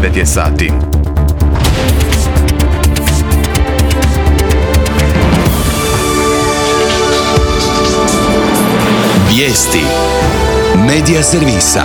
9 je sati. Vijesti Medija servisa.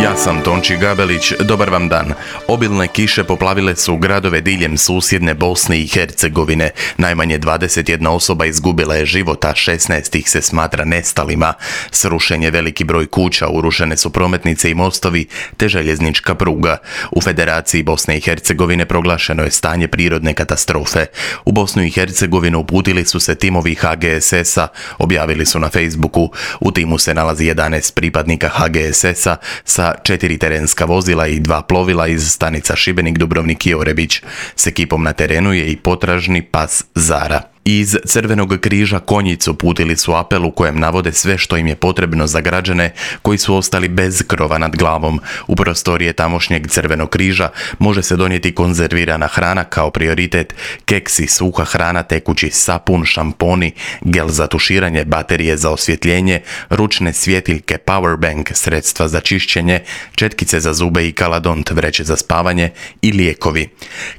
Ja sam Tonči Gabelić, dobar vam dan. Obilne kiše poplavile su gradove diljem susjedne Bosne i Hercegovine. Najmanje 21 osoba izgubila je život, a 16 ih se smatra nestalima. Srušen je veliki broj kuća, urušene su prometnice i mostovi, te željeznička pruga. U Federaciji Bosne i Hercegovine proglašeno je stanje prirodne katastrofe. U Bosnu i Hercegovinu uputili su se timovi HGSS-a, objavili su na Facebooku. U timu se nalazi 11 pripadnika HGSS-a sa 4 terenska vozila i 2 plovila iz stanica Šibenik, Dubrovnik i Orebić. S ekipom na terenu je i potražni pas Zara. Iz Crvenog križa Konjic uputili su apel u kojem navode sve što im je potrebno za građane koji su ostali bez krova nad glavom. U prostorije tamošnjeg Crvenog križa može se donijeti konzervirana hrana kao prioritet, keksi, suha hrana, tekući sapun, šamponi, gel za tuširanje, baterije za osvjetljenje, ručne svjetiljke, powerbank, sredstva za čišćenje, četkice za zube i kaladont, vreće za spavanje i lijekovi.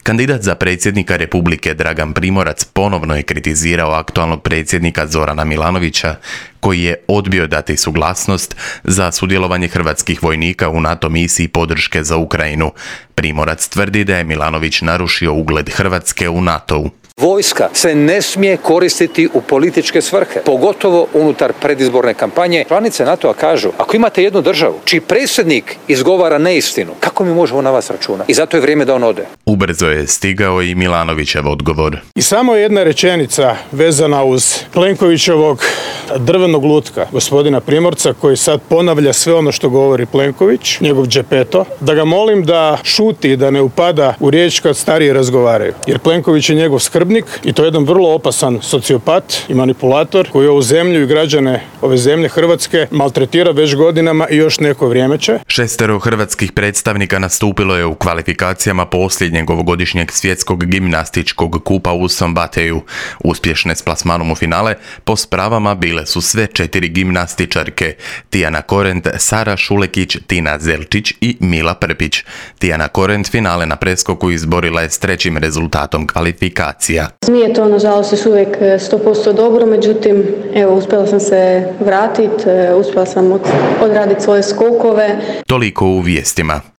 Kandidat za predsjednika Republike Dragan Primorac ponovno je kritizirao aktualnog predsjednika Zorana Milanovića, koji je odbio dati suglasnost za sudjelovanje hrvatskih vojnika u NATO misiji podrške za Ukrajinu. Primorac tvrdi da je Milanović narušio ugled Hrvatske u NATO-u. Vojska se ne smije koristiti u političke svrhe, pogotovo unutar predizborne kampanje. Članice NATO-a kažu, ako imate jednu državu čiji predsjednik izgovara neistinu, kako mi možemo na vas računati? I zato je vrijeme da on ode. Ubrzo je stigao i Milanovićev odgovor. I samo jedna rečenica vezana uz Plenkovićevog drvenog lutka, gospodina Primorca, koji sad ponavlja sve ono što govori Plenković, njegov džepeto, da ga molim da šuti, da ne upada u riječ kad stariji razgovaraju. Jer Plenković je njegov skrbnik i to je jedan vrlo opasan sociopat i manipulator koji ovu zemlju i građane ove zemlje Hrvatske maltretira već godinama i još neko vrijeme će. 6 hrvatskih predstavnika nastupilo je u kvalifikacijama posljednjeg ovogodišnjeg svjetskog gimnastičkog kupa u Sombateju. Uspješne s plasmanom u finale po spravama bile su sve 4 gimnastičarke: Tijana Korent, Sara Šulekić, Tina Zelčić i Mila Prpić. Tijana Korent finale na preskoku izborila je s 3. rezultatom kvalifikacija. Nije to nažalost još uvijek 100% dobro, međutim evo uspjela sam se vratiti, uspjela sam odraditi svoje skokove. Toliko u vijestima.